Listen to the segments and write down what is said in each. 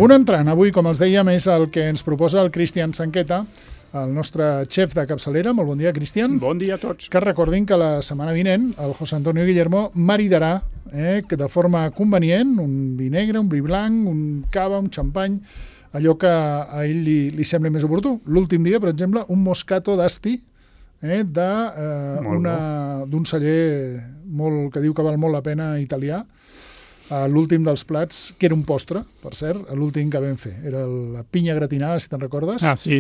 Un entrant, avui, com els dèiem, és el que ens proposa el Cristian Sanqueta, el nostre xef de capçalera. Molt bon dia, Cristian. Bon dia a tots. Que recordin que la setmana vinent el José Antonio Guillermo maridarà que de forma convenient un vi negre, un vi blanc, un cava, un xampany, allò que a ell li sembla més oportú. L'últim dia, per exemple, un Moscato d'Asti d'un celler que diu que val molt la pena italià. L'últim dels plats, que era un postre, per cert, l'últim que vam fer. Era la pinya gratinada, si te'n recordes. Ah, sí.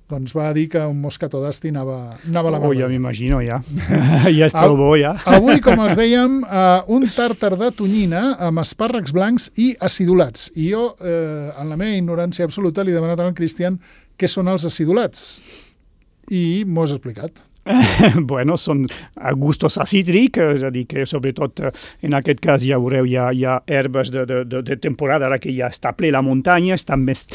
Doncs va dir que un Moscato d'Asti anava a la mà. Ja m'imagino, ja. Ja és prou bo, ja. Avui, com els dèiem, un tàrtar de tonyina amb espàrrecs blancs i acidulats. I jo, en la meva ignorància absoluta, li he demanat al Cristian què són els acidulats. I m'ho has explicat. Bueno, són gustos acítrics, és a dir, que sobretot en aquest cas ja veureu, hi ha herbes de temporada, ara que ja està ple la muntanya, estan més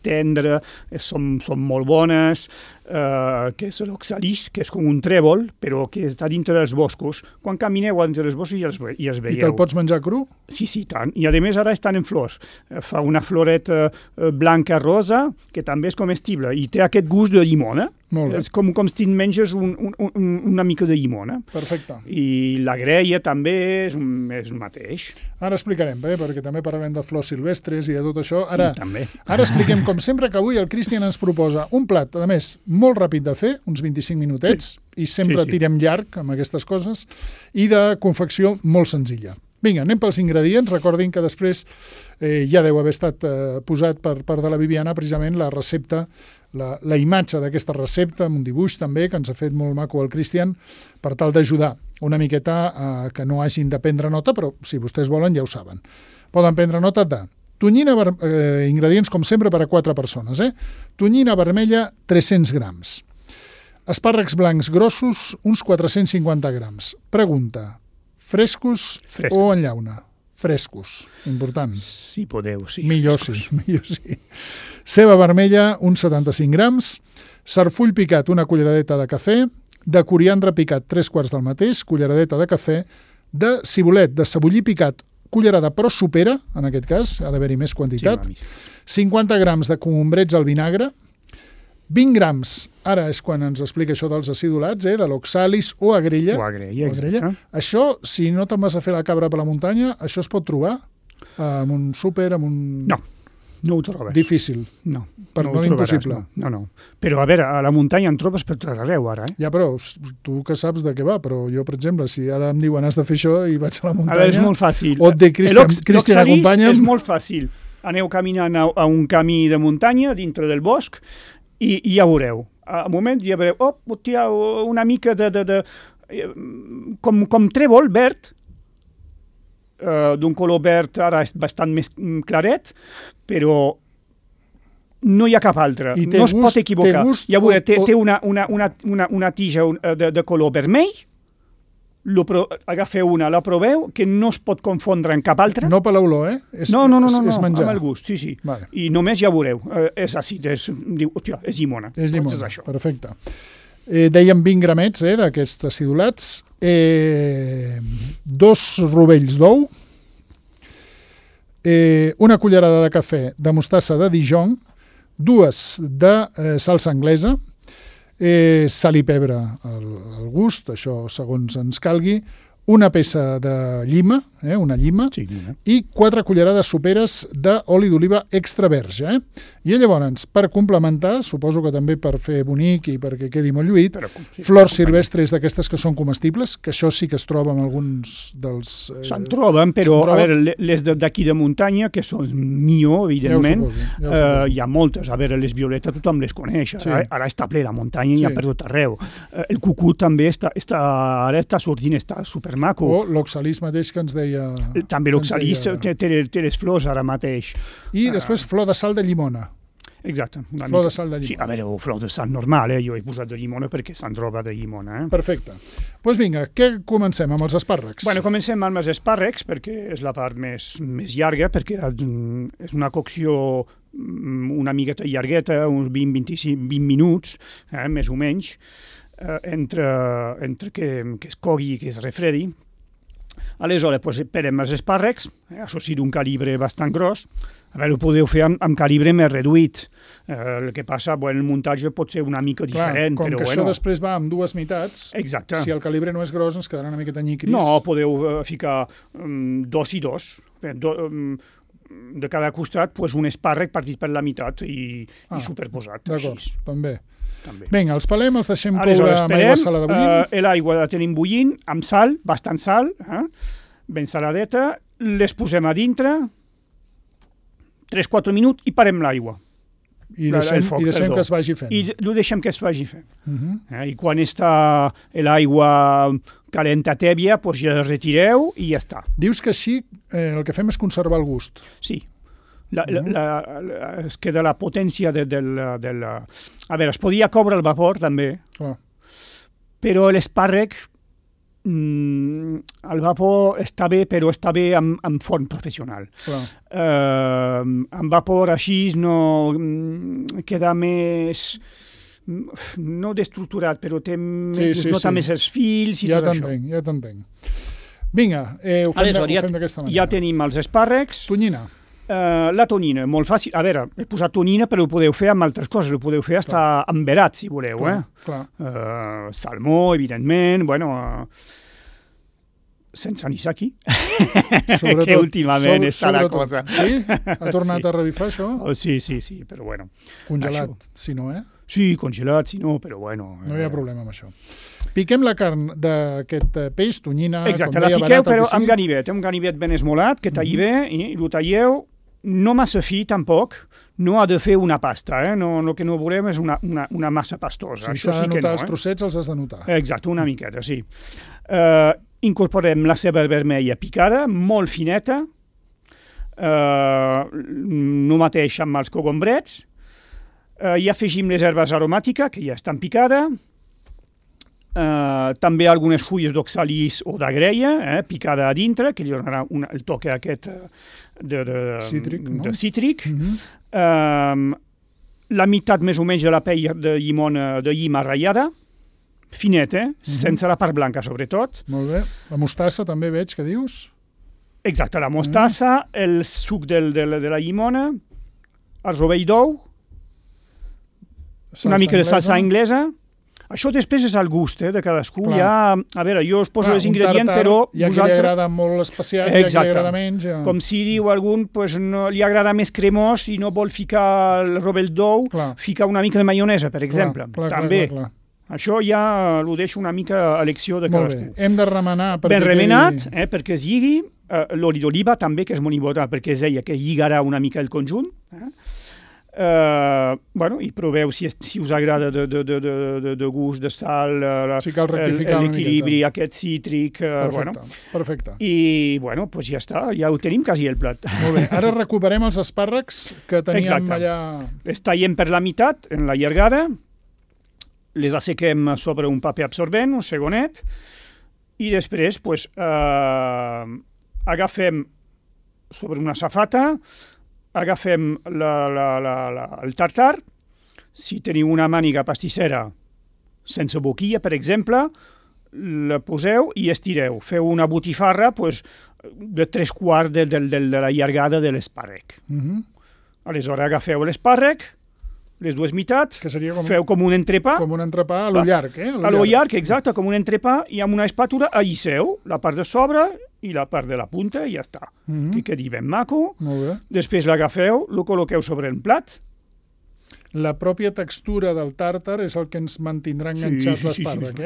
tendres, són molt bones, que és l'oxalis, que és com un trèvol, però que està dintre dels boscos. Quan camineu dintre dels boscos ja els veieu. I te'l pots menjar cru? Sí, tant. I a més ara estan en flors. Fa una floreta blanca rosa, que també és comestible, i té aquest gust de llimona. És com si menges una mica de llimona. Perfecte. I la greia també és el mateix. Ara explicarem, perquè també parlarem de flors silvestres i de tot això. Ara expliquem, com sempre, que avui el Cristian ens proposa un plat, a més, molt ràpid de fer, uns 25 minutets, i sempre tirem llarg amb aquestes coses, i de confecció molt senzilla. Vinga, anem pels ingredients. Recordin que després ja deu haver estat posat per part de la Viviana precisament la recepta, la imatge d'aquesta recepta, amb un dibuix també, que ens ha fet molt maco el Cristian, per tal d'ajudar una miqueta que no hagin de prendre nota, però si vostès volen ja ho saben. Poden prendre nota de tonyina, ingredients com sempre per a 4 persones. Tonyina vermella, 300 grams. Espàrrecs blancs grossos, uns 450 grams. Pregunta: frescos o en llauna? Frescos, important. Si podeu, sí. Millor sí. Ceba vermella, uns 75 grams. Sarfull picat, una culleradeta de cafè. De coriandre picat, 3/4 del mateix, culleradeta de cafè. De cibulet, de cebollí picat, cullerada però supera, en aquest cas, ha d'haver-hi més quantitat. 50 grams de cogombrets al vinagre. 20 grams, ara és quan ens explica això dels acidulats, de l'oxalis o agrella. Exacte. Això, si no te'n vas a fer la cabra per la muntanya, això es pot trobar en un súper, en un... No ho trobes. Difícil. No. No impossible. No. Però, a veure, a la muntanya en trobes per tot arreu, ara. Ja, però tu que saps de què va, però jo, per exemple, si ara em diuen has de fer això i vaig a la muntanya... Ara és molt fàcil. O et dic, Cristian, acompanya'm... És molt fàcil. Aneu caminant a un camí de muntanya dintre del bosc i ja veureu. A un moment ja veureu, una mica com trèvol verd, d'un color verd ara és bastant més claret, però no hi ha cap altre. No es pot equivocar. Ja veureu, té una tija de color vermell, agafeu una, la proveu, que no es pot confondre amb cap altra. No per l'olor, No, és menjar. amb el gust, sí. Vale. I només ja veureu, és àcid, és llimona. És llimona, perfecte. Dèiem 20 gramets d'aquests acidulats, 2 rovells d'ou, una cullerada de cafè de mostassa de Dijon, 2 de salsa anglesa, sal i pebre al gust, això segons ens calgui, una peça de llima, una llima, i 4 cullerades soperes d'oli d'oliva extra verge. I llavors, per complementar, suposo que també per fer bonic i perquè quedi molt lluït, flors silvestres d'aquestes que són comestibles, que això sí que es troba en alguns dels... Se'n troben, però a veure, les d'aquí de muntanya, que són millor, evidentment, hi ha moltes. A veure, les violetes tothom les coneix, ara està ple la muntanya i hi ha per tot arreu. El cucut també ara està sortint, està supermaco. O l'oxalis mateix que ens deia... També l'oxalis té les flors ara mateix. I després flor de sal de llimona. Exacte. Flor de sal de llimona. Sí, a veure, flor de sal normal, jo he posat de llimona perquè se'n troba de llimona. Perfecte. Doncs vinga, què comencem amb els espàrrecs? Bueno, comencem amb els espàrrecs perquè és la part més llarga, perquè és una cocció una miqueta llargueta, uns 20 minuts, més o menys, entre que es cogui i que es refredi. Aleshores, pelem els espàrrecs, això sí d'un calibre bastant gros. A veure, ho podeu fer amb calibre més reduït. El que passa, el muntatge pot ser una mica diferent. Com però que això després va amb dues meitats, exacte. Si el calibre no és gros ens quedarà una miqueta nyicris. No, podeu ficar 2 i 2. De cada costat, un espàrrec partit per la meitat i superposat. D'acord, també. Vinga, els pelem, els deixem coure amb aigua salada bullint. L'aigua la tenim bullint, amb sal, bastant sal, ben saladeta, les posem a dintre, 3-4 minuts i parem l'aigua. I deixem que es vagi fent. I ho deixem que es vagi fent. I quan està l'aigua calenta tèbia, ja la retireu i ja està. Dius que així el que fem és conservar el gust. Sí. Es queda la potència del... A veure, es podia coure el vapor, també, però l'espàrrec, el vapor està bé, però està bé amb forn professional. Amb vapor així no queda més... no destructurat, però nota més els fils i tot això. Ja t'entenc. Vinga, ho fem d'aquesta manera. Ja tenim els espàrrecs. Tonyina. La tonyina, molt fàcil. A veure, he posat tonyina, però ho podeu fer amb altres coses. Ho podeu fer fins amb verat, si voleu. Salmó, evidentment, sense anisaki, que últimament està la cosa. Sí? Ha tornat a revifar això? Sí, però bueno. Congelat, si no, Sí, congelat, si no, però bueno. No hi ha problema amb això. Piquem la carn d'aquest peix, tonyina, exacte, com deia, la piqueu, però amb ganivet. Un ganivet ben esmolat, que talli bé, i ho talleu, no massa fi, tampoc, no ha de fer una pasta, el que no volem és una massa pastosa. Si s'ha de notar els trossets, els has de notar. Exacte, una miqueta, sí. Incorporem la ceba vermella picada, molt fineta, no mateix amb els cogombrets, i afegim les herbes aromàtiques, que ja estan picades, també algunes fulles d'oxalis o d'agreia, picada a dintre, que li donarà el toque aquest de cítric. La meitat més o menys de la pell de llima ratllada, finet, sense la part blanca, sobretot. Molt bé. La mostassa també veig que dius? Exacte, la mostassa, el suc de la llimona, el rovell d'ou, una mica de salsa anglesa. Això després és el gust de cadascú. A veure, jo us poso els ingredients, però hi ha qui li agrada molt especial, hi ha qui li agrada menys. Com si diu algun, no li agrada més cremós i no vol ficar el rovell d'ou, ficar una mica de maionesa, per exemple. També. Això ja ho deixo una mica a elecció de cadascú. Molt bé. Hem de remenar ben remenat, perquè es lligui. L'oli d'oliva també, que és molt important, perquè és ella que lligarà una mica el conjunt. I proveu si us agrada de gust, de sal, l'equilibri aquest cítric. Perfecte. I ja està, ja ho tenim quasi el plat. Molt bé, ara recuperem els espàrrecs que teníem allà. Els tallem per la meitat, en la llargada, les assequem sobre un paper absorbent, un segonet, i després agafem sobre una safata, agafem el tartar, si teniu una màniga pastissera sense boquilla, per exemple, la poseu i estireu. Feu una botifarra de 3/4 de la llargada de l'espàrrec. Aleshores agafeu l'espàrrec, les dues meitats, feu com un entrepà. Com un entrepà a lo llarg, A lo llarg, exacte, com un entrepà, i amb una espàtula allisseu la part de sobre i la part de la punta i ja està. Que quedi ben maco. Després l'agafeu, lo col·loqueu sobre el plat. La pròpia textura del tàrtar és el que ens mantindrà enganxat l'espàrrec,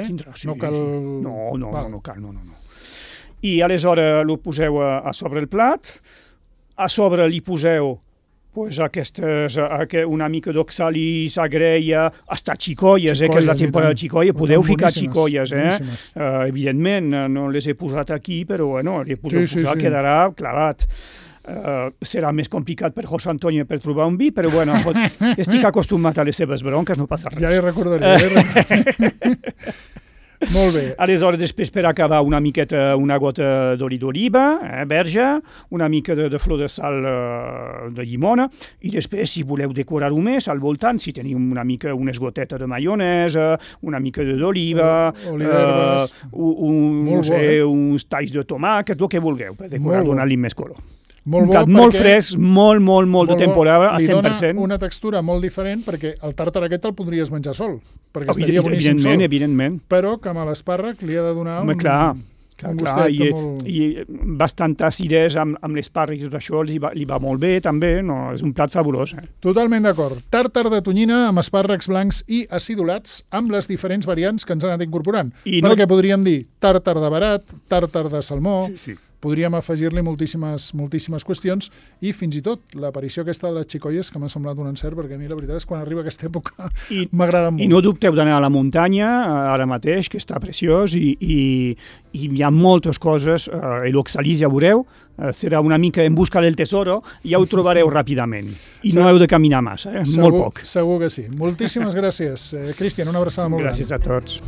No cal... No cal. I aleshores lo poseu a sobre el plat, a sobre li poseu una mica d'oxalis, agreia, hasta xicolles, que és la temporada de xicolla, podeu ficar xicolles, evidentment, no les he posat aquí, però les podeu posar, quedarà clavat. Serà més complicat per José Antonio per trobar un vi, però estic acostumat a les seves bronques, no passa res. Ja li recordaré. Molt bé. Aleshores, després, per acabar, una miqueta, una gota d'oli d'oliva, verge, una mica de flor de sal de llimona, i després, si voleu decorar-ho més, al voltant, si teniu una mica, unes gotetes de maionesa, una mica d'oliva, uns talls de tomàquet, el que vulgueu, per decorar, donar-li més color. Molt un plat molt fresc, molt de temporada, a 100%. Li dona una textura molt diferent, perquè el tàrtar aquest el podries menjar sol, perquè estaria boníssim sol. Evidentment. Però que amb l'espàrrec li ha de donar un gustet molt... I bastant acidesa amb l'espàrrec i tot això li va molt bé, també, no? És un plat fabulós. Totalment d'acord. Tàrtar de tonyina amb espàrrecs blancs i acidulats amb les diferents variants que ens han anat incorporant. Perquè podríem dir tàrtar de barat, tàrtar de salmó... Sí. Podríem afegir-li moltíssimes qüestions i fins i tot l'aparició aquesta de les xicoies que m'ha semblat un encert, perquè a mi la veritat és que quan arriba aquesta època m'agrada molt. I no dubteu d'anar a la muntanya ara mateix, que està preciós, i hi ha moltes coses, l'Oxalis ja veureu, serà una mica en busca del tesoro, ja ho trobareu ràpidament. I no heu de caminar massa, molt poc. Segur que sí. Moltíssimes gràcies. Cristian, una abraçada molt gran. Gràcies a tots.